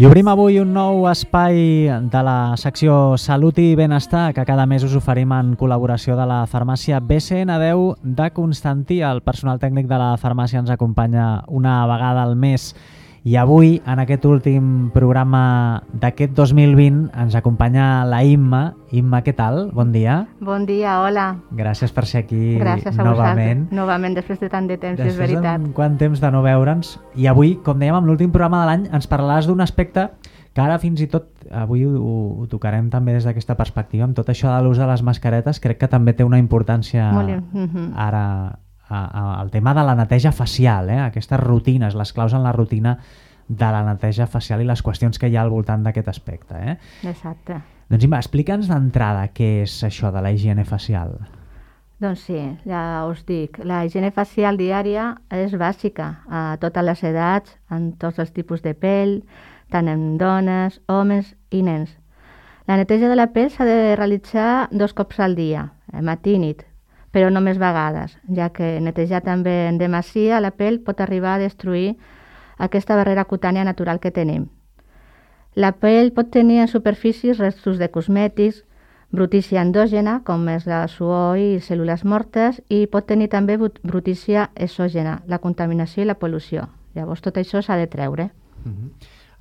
I obrim avui un nou espai de la secció Salut i Benestar que cada mes us oferim en col·laboració de la farmàcia BCN10 de Constantí. El personal tècnic de la farmàcia ens acompanya una vegada al mes i avui, en aquest últim programa d'aquest 2020, ens acompanya la Imma. Imma, què tal? Bon dia. Bon dia, hola. Gràcies per ser aquí Gràcies a novament. Novament, després de tant de temps, és veritat. Després de quant temps de no veure'ns. I avui, com dèiem, en l'últim programa de l'any, ens parlaràs d'un aspecte que ara fins i tot, avui ho tocarem també des d'aquesta perspectiva, amb tot això de l'ús de les mascaretes, crec que també té una importància ara el tema de la neteja facial, aquestes rutines, les claus en la rutina de la neteja facial i les qüestions que hi ha al voltant d'aquest aspecte. Exacte. Doncs Imma, explica'ns d'entrada què és això de la higiene facial. Doncs sí, ja us dic, la higiene facial diària és bàsica a totes les edats, en tots els tipus de pell, tant en dones, homes i nens. La neteja de la pell s'ha de realitzar 2 cops al dia, matí i nit, però no més vegades, ja que netejar també en demasia la pell pot arribar a destruir aquesta barrera cutània natural que tenim. La pell pot tenir en superfícies restos de cosmètics, brutícia endògena, com és la suor i cèl·lules mortes, i pot tenir també brutícia exògena, la contaminació i la pol·lució. Llavors tot això s'ha de treure.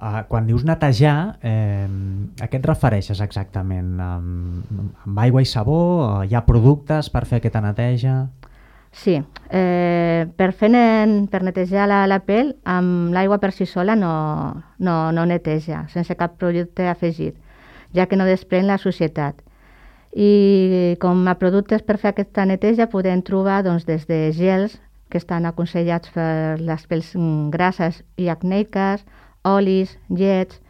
Quan dius netejar, a què et refereixes exactament? Amb aigua i sabó? Hi ha productes per fer aquesta neteja? Sí, per netejar la pell, amb l'aigua per si sola no neteja, sense cap producte afegit, ja que no desprèn la sucietat. I com a productes per fer aquesta neteja podem trobar des de gels que estan aconsellats per les pells grasses i acneiques, olis, llets,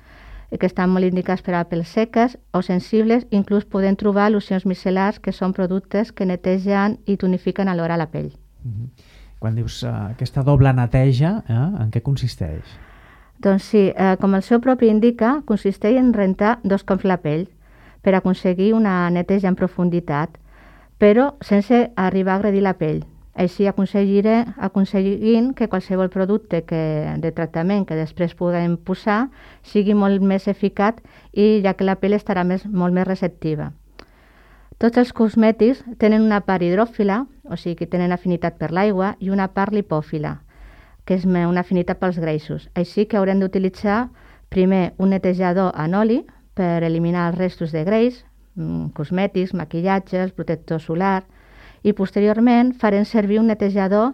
que estan molt indicats per a pells seques o sensibles. Inclús podem trobar locions micel·lars, que són productes que netegen i tonifiquen alhora la pell. Quan dius aquesta doble neteja, en què consisteix? Doncs sí, com el seu propi indica, consisteix en rentar 2 cops la pell per aconseguir una neteja en profunditat, però sense arribar a agredir la pell. Així aconseguint que qualsevol producte de tractament que després puguem posar sigui molt més eficaç, i ja que la pell estarà molt més receptiva. Tots els cosmètics tenen una part hidròfila, o sigui que tenen afinitat per l'aigua, i una part lipòfila, que és una afinitat pels greixos. Així que haurem d'utilitzar primer un netejador en oli per eliminar els restos de greix, cosmètics, maquillatges, protector solar, i posteriorment farem servir un netejador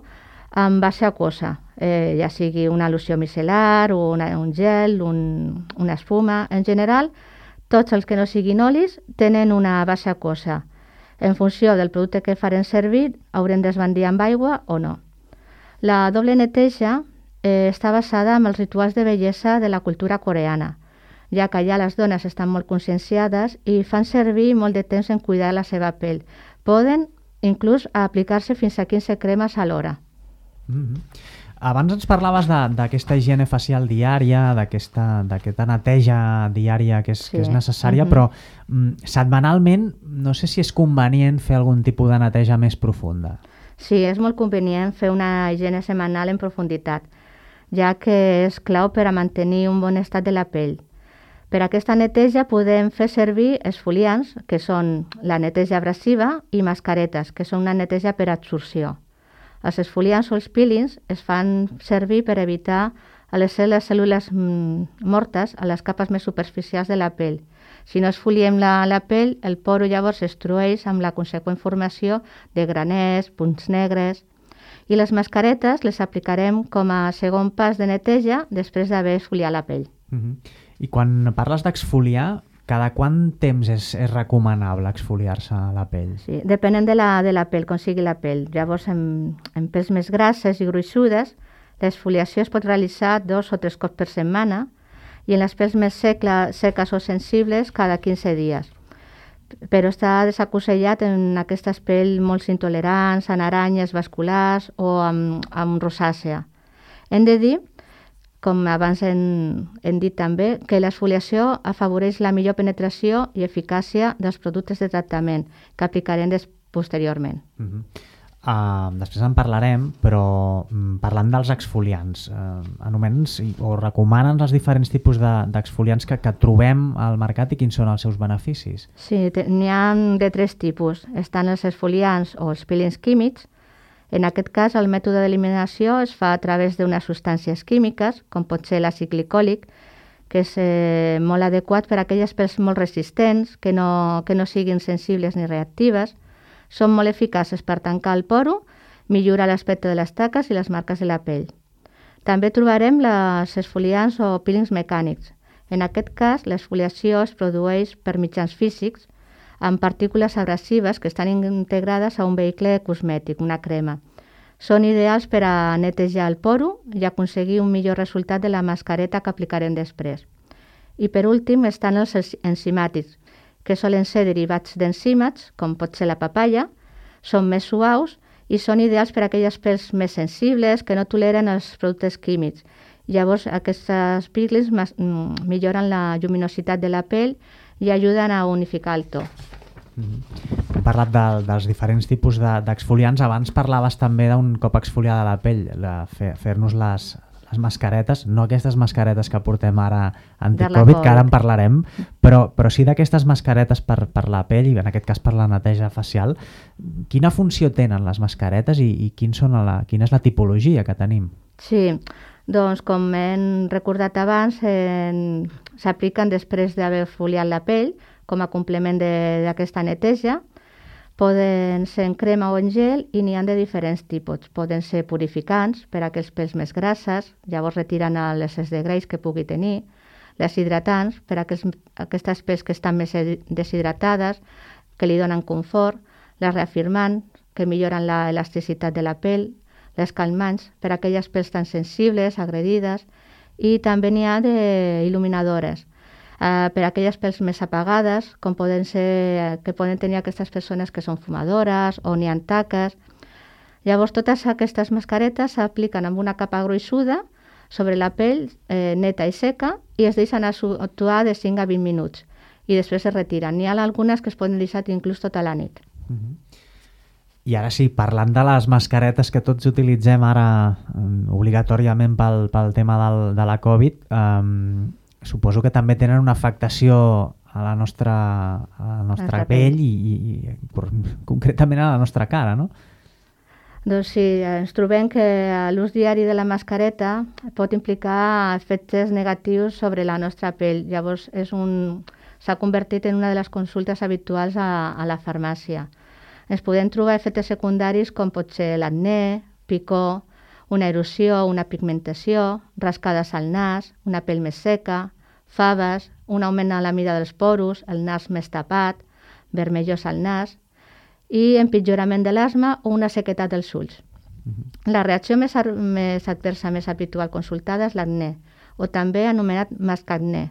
amb base aquosa, ja sigui una loció micel·lar, un gel, una espuma. En general, tots els que no siguin olis tenen una base aquosa. En funció del producte que farem servir, haurem d'esbandir amb aigua o no. La doble neteja està basada en els rituals de bellesa de la cultura coreana, ja que allà les dones estan molt conscienciades i fan servir molt de temps en cuidar la seva pell. Poden inclús aplicar-se fins a 15 cremes alhora. Abans ens parlaves d'aquesta higiene facial diària, d'aquesta neteja diària que és necessària, però setmanalment no sé si és convenient fer algun tipus de neteja més profunda. Sí, és molt convenient fer una higiene setmanal en profunditat, ja que és clau per a mantenir un bon estat de la pell. Per aquesta neteja podem fer servir esfoliants, que són la neteja abrasiva, i mascaretes, que són una neteja per absorció. Els esfoliants o els peelings es fan servir per evitar les cèl·lules mortes a les capes més superficials de la pell. Si no esfoliem la pell, el poro llavors s'estrueix amb la conseqüent formació de graners, punts negres. I les mascaretes les aplicarem com a segon pas de neteja després d'haver esfoliat la pell. I quan parles d'exfoliar, cada quant temps és recomanable exfoliar-se la pell? Sí, depenent de la pell, com sigui la pell. Llavors, en pells més grasses i gruixudes, l'exfoliació es pot realitzar 2 o 3 cops per setmana, i en les pells més seques o sensibles cada 15 dies. Però està desaconsellat en aquestes pells molt intolerants, en aranyes vasculars o amb rosàcea. Hem de dir, com abans hem dit també, que l'exfoliació afavoreix la millor penetració i eficàcia dels productes de tractament que aplicarem posteriorment. després en parlarem, però parlant dels exfoliants, anomenen o recomanen els diferents tipus d'exfoliants que trobem al mercat i quins són els seus beneficis? Sí, n'hi ha de 3 tipus. Estan els exfoliants o els peelings químics. En aquest cas, el mètode d'eliminació es fa a través d'unes substàncies químiques, com pot ser l'àcid glicòlic, que és molt adequat per a aquelles pels molt resistents, que no siguin sensibles ni reactives. Són molt eficaces per tancar el poro, millorar l'aspecte de les taques i les marques de la pell. També trobarem els exfoliants o peelings mecànics. En aquest cas, l'exfoliació es produeix per mitjans físics amb partícules agressives que estan integrades a un vehicle cosmètic, una crema. Són ideals per a netejar el poro i aconseguir un millor resultat de la mascareta que aplicarem després. I per últim estan els enzimàtics, que solen ser derivats d'enzímats, com pot ser la papaya, són més suaus i són ideals per a aquelles pels més sensibles que no toleren els productes químics. Llavors, aquests peelings milloren la lluminositat de la pell i ajuden a unificar el to. Hem parlat dels diferents tipus d'exfoliants. Abans parlaves també d'un cop exfoliada la pell, fer-nos les mascaretes, no aquestes mascaretes que portem ara anti-Covid, que ara en parlarem, però sí d'aquestes mascaretes per la pell i en aquest cas per la neteja facial. Quina funció tenen les mascaretes i quina és la tipologia que tenim? Sí, doncs com hem recordat abans, s'apliquen després d'haver exfoliat la pell com a complement d'aquesta neteja. Poden ser en crema o en gel i n'hi ha de diferents tipus. Poden ser purificants per a aquells pels més grasses, llavors retiren l'excés de greix que pugui tenir. Les hidratants per a aquestes pels que estan més deshidratades, que li donen confort. Les reafirmants, que milloren l'elasticitat de la pell. Les calmants per a aquelles pels tan sensibles, agredides. I també n'hi ha d'il·luminadores. Per a aquelles pels més apagades, com que poden tenir aquestes persones que són fumadores o n'hi ha taques. Llavors, totes aquestes mascaretes s'apliquen amb una capa gruixuda sobre la pell neta i seca i es deixen actuar de 5 a 20 minuts i després es retiren. N'hi ha algunes que es poden deixar inclús tota la nit. I ara sí, parlant de les mascaretes que tots utilitzem ara obligatòriament pel tema de la Covid, suposo que també tenen una afectació a la nostra pell i concretament a la nostra cara, no? Doncs sí, ens trobem que l'ús diari de la mascareta pot implicar efectes negatius sobre la nostra pell. Llavors s'ha convertit en una de les consultes habituals a la farmàcia. Ens podem trobar efectes secundaris com pot ser l'acné, picor, una erosió, una pigmentació, rascades al nas, una pell més seca, faves, un augment a la mida dels poros, el nas més tapat, vermellós al nas i empitjorament de l'asma o una sequetat dels ulls. La reacció més adversa, més habitual consultada és l'acné, o també anomenat mascacné.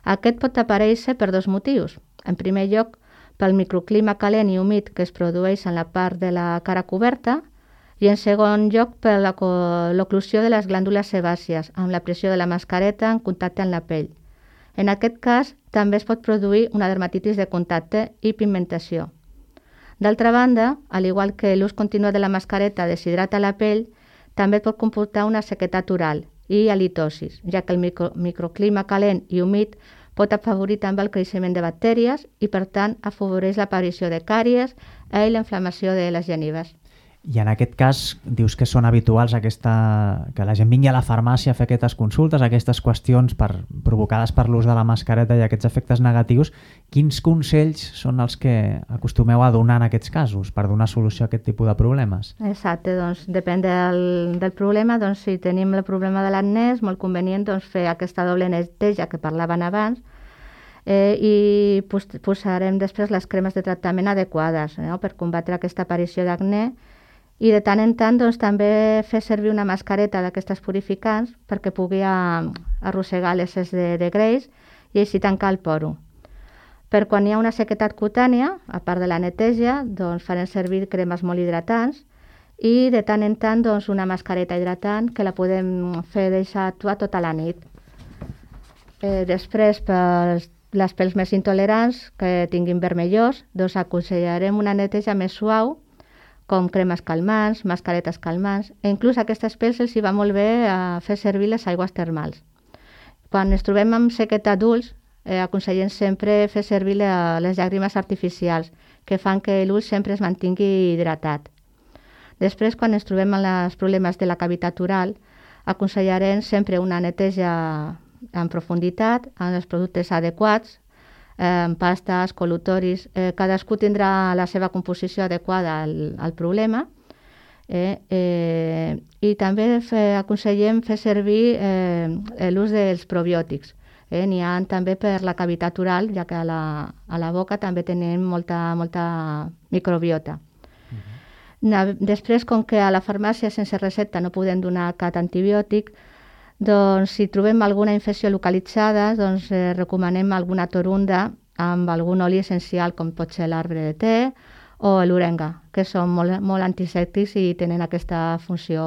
Aquest pot aparèixer per 2 motius. En primer lloc, pel microclima calent i humit que es produeix en la part de la cara coberta, i en segon lloc per l'oclusió de les glàndules sebàcies amb la pressió de la mascareta en contacte amb la pell. En aquest cas, també es pot produir una dermatitis de contacte i pigmentació. D'altra banda, al igual que l'ús continu de la mascareta deshidrata la pell, també pot comportar una sequetat oral i halitosis, ja que el microclima calent i humit pot afavorir també el creixement de bactèries i, per tant, afavoreix l'aparició de càries i la inflamació de les genives. I en aquest cas dius que són habituals que la gent vingui a la farmàcia a fer aquestes consultes, aquestes qüestions provocades per l'ús de la mascareta i aquests efectes negatius. Quins consells són els que acostumeu a donar en aquests casos per donar solució a aquest tipus de problemes? Exacte, doncs depèn del problema. Doncs si tenim el problema de l'acné és molt convenient fer aquesta doble neteja que parlaven abans i posarem després les cremes de tractament adequades per combatre aquesta aparició d'acné. I de tant en tant també fer servir una mascareta d'aquestes purificants perquè pugui arrossegar l'excés de greix i així tancar el poro. Per quan hi ha una sequetat cutània, a part de la neteja, farem servir cremes molt hidratants i de tant en tant una mascareta hidratant que la podem fer deixar actuar tota la nit. Després, per les pels més intolerants que tinguin vermellós, aconsellarem una neteja més suau, com cremes calmants, mascaretes calmants, i inclús a aquestes pells els hi va molt bé fer servir les aigües termals. Quan ens trobem amb sequeta d'ulls, aconsellem sempre fer servir les llàgrimes artificials, que fan que l'ull sempre es mantingui hidratat. Després, quan ens trobem amb els problemes de la cavitat oral, aconsellarem sempre una neteja en profunditat, amb els productes adequats, pastes, col·lutoris, cadascú tindrà la seva composició adequada al problema, i també aconsellem fer servir l'ús dels probiòtics. N'hi ha també per la cavitat oral, ja que a la boca també tenim molta microbiota. Després, com que a la farmàcia sense recepta no podem donar cap antibiòtic, doncs si trobem alguna infecció localitzada, doncs recomanem alguna torunda amb algun oli essencial, com pot ser l'arbre de te o l'orenga, que són molt antisèptics i tenen aquesta funció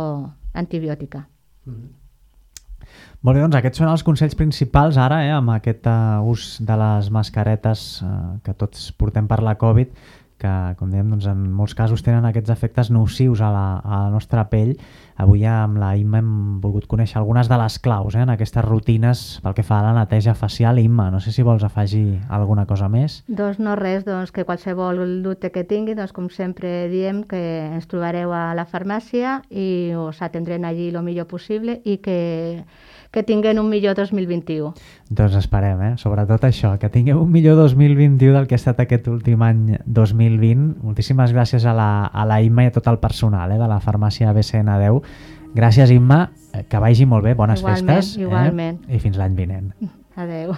antibiòtica. Molt bé, doncs aquests són els consells principals ara, amb aquest ús de les mascaretes que tots portem per la Covid, que, com dèiem, doncs, en molts casos tenen aquests efectes nocius a la nostra pell. Avui amb la Imma hem volgut conèixer algunes de les claus en aquestes rutines pel que fa a la neteja facial. Imma, no sé si vols afegir alguna cosa més. Doncs no res, doncs que qualsevol dubte que tingui, doncs com sempre diem que ens trobareu a la farmàcia i us atendrem allí el millor possible i que tinguem un millor 2021. Doncs esperem, sobretot això, que tingueu un millor 2021 del que ha estat aquest últim any 2020. Moltíssimes gràcies a la Imma i a tot el personal de la farmàcia BCN10. Gràcies, Imma, que vagi molt bé, bones festes. Igualment. I fins l'any vinent. Adeu.